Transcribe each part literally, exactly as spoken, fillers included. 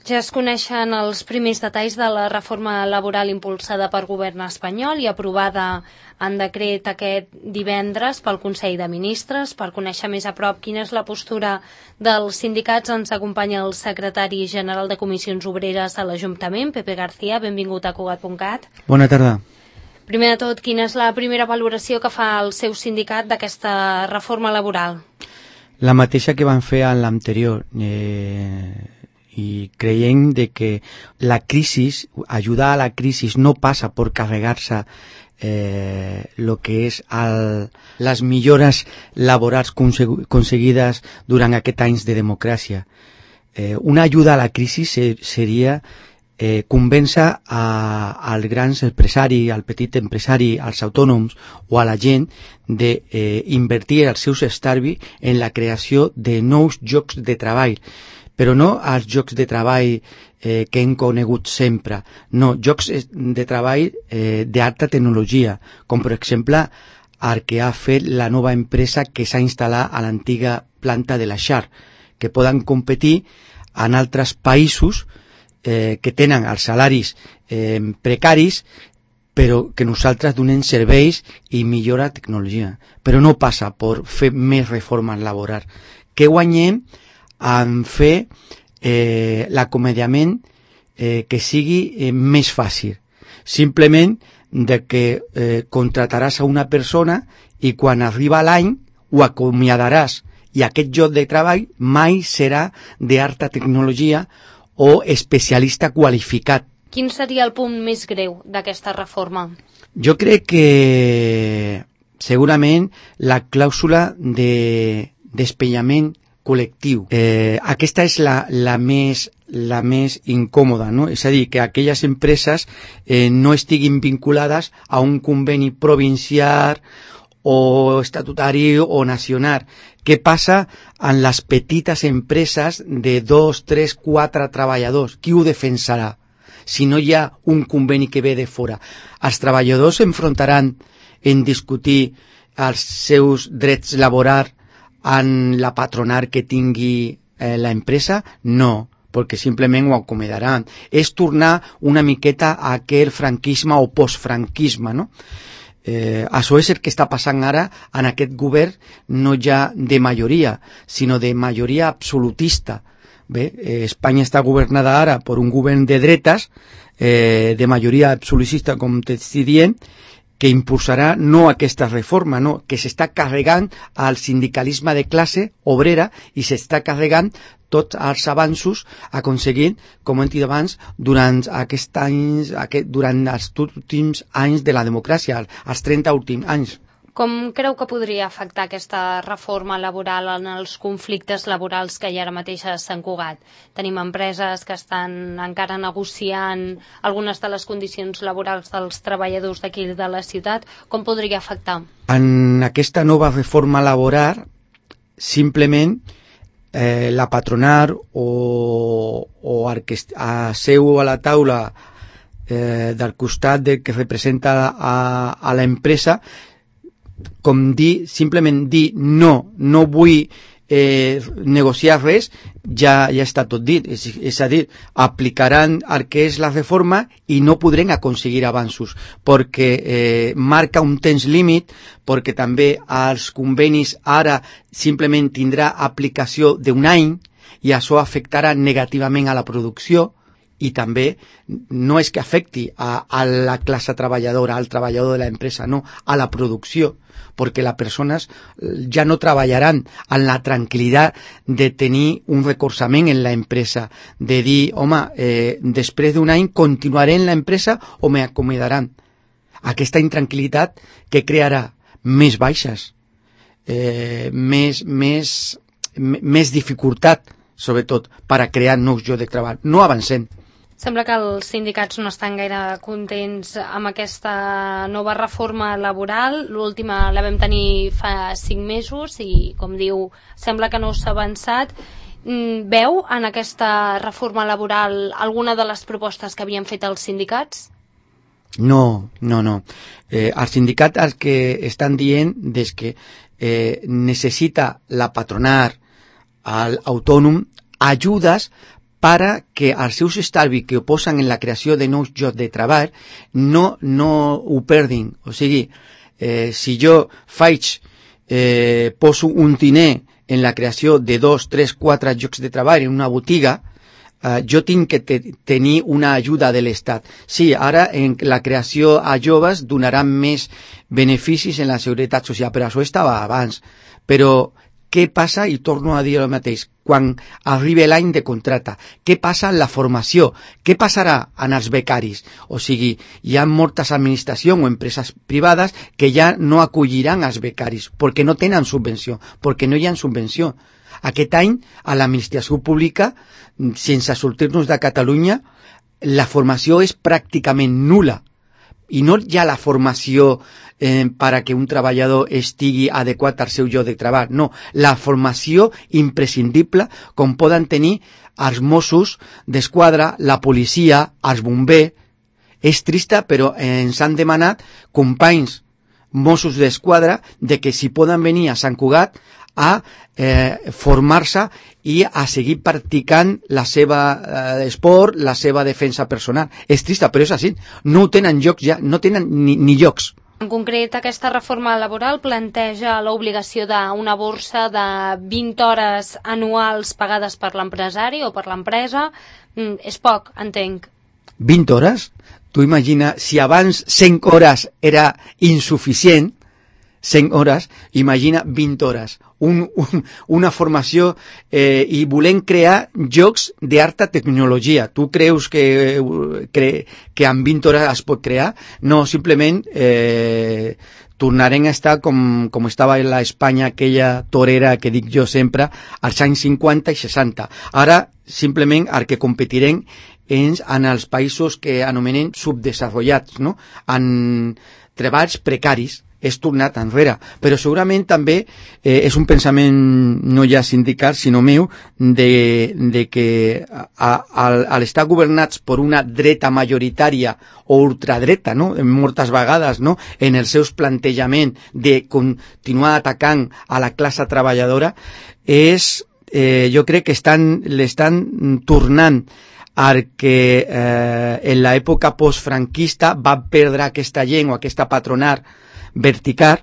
Ja es coneixen els primers detalls de la reforma laboral impulsada per govern espanyol i aprovada en decret aquest divendres pel Consell de Ministres. Per conèixer més a prop quina és la postura dels sindicats, ens acompanya el secretari general de Comissions Obreres de l'Ajuntament, Pepe García. Benvingut a Cugat punt cat. Bona tarda. Primer de tot, quina és la primera valoració que fa el seu sindicat d'aquesta reforma laboral? La mateixa que van fer en l'anterior. Eh... i creiem de que la crisi, ayudar a la crisi no passa per carregar-se eh, lo que és el, les millores laborals aconseguides durant aquests anys de democràcia. Eh, una ajuda a la crisi ser, seria eh, convèncer als grans empresaris, al petit empresari, als autònoms o a la gent d'invertir eh, els seus estalvis en la creació de nous llocs de treball. Però no als llocs de treball eh, que hem conegut sempre, no, llocs de treball eh, d'alta tecnologia, com per exemple el que ha fet la nova empresa que s'ha instal·lat a l'antiga planta de la Xar, que poden competir en altres països eh, que tenen els salaris eh, precaris, però que nosaltres donem serveis i millora tecnologia. Però no passa per fer més reformes laborals. Que guanyem en fer eh, l'acomodament eh, que sigui eh, més fàcil. Simplement de que eh, contrataràs a una persona i quan arriba l'any ho acomiadaràs i aquest lloc de treball mai serà d'alta tecnologia o especialista qualificat. Quin seria el punt més greu d'aquesta reforma? Jo crec que segurament la clàusula de despenyament col·lectiu. Eh, aquesta és la, la, més, la més incòmoda, no? És a dir, que aquelles empreses eh, no estiguin vinculades a un conveni provincial o estatutari o nacional. Què passa en les petites empreses de dos, tres, quatre treballadors? Qui ho defensarà si no hi ha un conveni que ve de fora? Els treballadors s'enfrontaran en discutir els seus drets laborals en la patronal que tingui eh, la empresa? No, perquè simplement ho acomodaran. És tornar una miqueta a aquell franquisme o postfranquisme, no? Eh, això és el que està passant ara en aquest govern, no ja de majoria, sinó de majoria absolutista. Bé, eh, Espanya està governada ara per un govern de dretes, eh, de majoria absolutista, com t'estic dient, que impulsarà no aquesta reforma, no, que s'està carregant al sindicalisme de classe obrera i s'està carregant tots els avanços aconseguint, com hem dit abans, durant aquests anys, aquest, durant els últims anys de la democràcia, els trenta últims anys. Com creu que podria afectar aquesta reforma laboral en els conflictes laborals que hi ha ara mateix a Sant Cugat? Tenim empreses que estan encara negociant algunes de les condicions laborals dels treballadors d'aquí de la ciutat. Com podria afectar? En aquesta nova reforma laboral, simplement eh, la patronal o, o el que seu a la taula eh, del costat del que representa a, a l'empresa, com dir, simplement dir no, no vull eh, negociar res, ja, ja està tot dit. És, és a dir, aplicaran el que és la reforma i no podrem aconseguir avanços, perquè eh, marca un temps límit, perquè també els convenis ara simplement tindrà aplicació d'un any i això afectarà negativament a la producció. I també no és que afecti a, a la classe treballadora, al treballador de l'empresa, no, a la producció, perquè les persones ja no treballaran en la tranquil·litat de tenir un recolzament en l'empresa, de dir, home, eh, després d'un any continuaré en l'empresa o me acomodaran. Aquesta intranquil·litat que crearà més baixes, eh, més, més, més dificultat, sobretot, per a crear nous llocs de treball. No avancem. Sembla que els sindicats no estan gaire contents amb aquesta nova reforma laboral. L'última la vam tenir fa cinc mesos i, com diu, sembla que no s'ha avançat. Veu en aquesta reforma laboral alguna de les propostes que havien fet els sindicats? No, no, no. Eh, els sindicats el que estan dient és que eh, necessita la patronal, l'autònom, ajudes para que els seus estalvis que ho posen en la creació de nous llocs de treball no, no ho perdin. O sigui, eh, si jo faig, eh, poso un diner en la creació de dos, tres, quatre llocs de treball en una botiga, Uh, jo tinc que te tenir una ajuda de l'Estat. Sí, ara en la creació a joves donaran més beneficis en la seguretat social, però això estava abans. Però què passa, i torno a dir el mateix, quan arribi l'any de contracte? Què passa en la formació? Què passarà en els becaris? O sigui, hi ha moltes administracions o empreses privades que ja no acolliran els becaris perquè no tenen subvenció, perquè no hi ha subvenció. Aquest any, a l'administració pública, sense sortir-nos de Catalunya, la formació és pràcticament nula. I no hi ha la formació eh, per a que un treballador estigui adequat al seu lloc de treball. No, la formació imprescindible com poden tenir els Mossos d'Esquadra, la policia, els bombers. És trista, però ens han demanat companys Mossos d'Esquadra de que si poden venir a Sant Cugat a eh, formar-se i a seguir practicant la seva eh, esport, la seva defensa personal. És trista, però és així. No tenen llocs ja, no tenen ni, ni llocs. En concret, aquesta reforma laboral planteja l'obligació d'una borsa de vint hores anuals pagades per l'empresari o per l'empresa. Mm, és poc, entenc. vint hores? Tu imagina, si abans cent hores era insuficient, cent hores, imagina vint hores. Un, un, una formació eh, i volem crear jocs d'alta tecnologia. Tu creus que, que, que en vint hores es pot crear? No, simplement eh, tornarem a estar com, com estava en l'Espanya, aquella torera que dic jo sempre, als anys cinquanta i seixanta. Ara, simplement, el que competirem és en els països que anomenen subdesenvolupats, no? En treballs precaris. És tornat enrere, però segurament també eh, és un pensament no ja sindical, sinó meu, de, de que a, a, al estar governats per una dreta majoritària o ultradreta, no? Moltes vegades, no? En els seus plantejaments de continuar atacant a la classe treballadora, és, eh, jo crec que estan, l'estan tornant al que eh, en l'època postfranquista va perdre aquesta gent o aquesta patronal vertical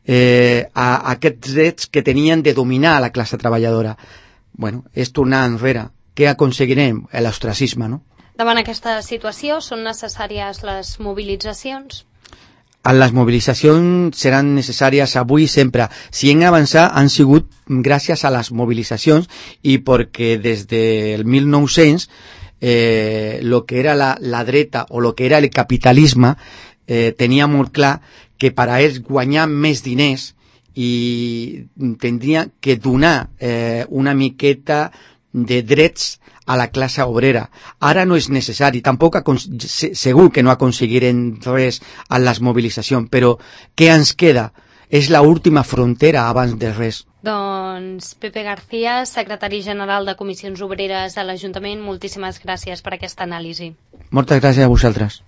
eh, a, a aquests drets que tenien de dominar a la classe treballadora. Bueno, és tornar enrere. Què aconseguirem? L'ostracisme, no? Davant aquesta situació, són necessàries les mobilitzacions? Les mobilitzacions seran necessàries avui i sempre. Si hem avançat, han sigut gràcies a les mobilitzacions i perquè des del mil nou-cents eh, lo que era la, la dreta o lo que era el capitalisme eh, tenia molt clar que per a ells guanyar més diners i tindria que donar eh, una miqueta de drets a la classe obrera. Ara no és necessari, tampoc segur que no aconseguirem res a les mobilitzacions, però què ens queda? És l'última frontera abans de res. Doncs Pepe García, secretari general de Comissions Obreres a l'Ajuntament, moltíssimes gràcies per aquesta anàlisi. Moltes gràcies a vosaltres.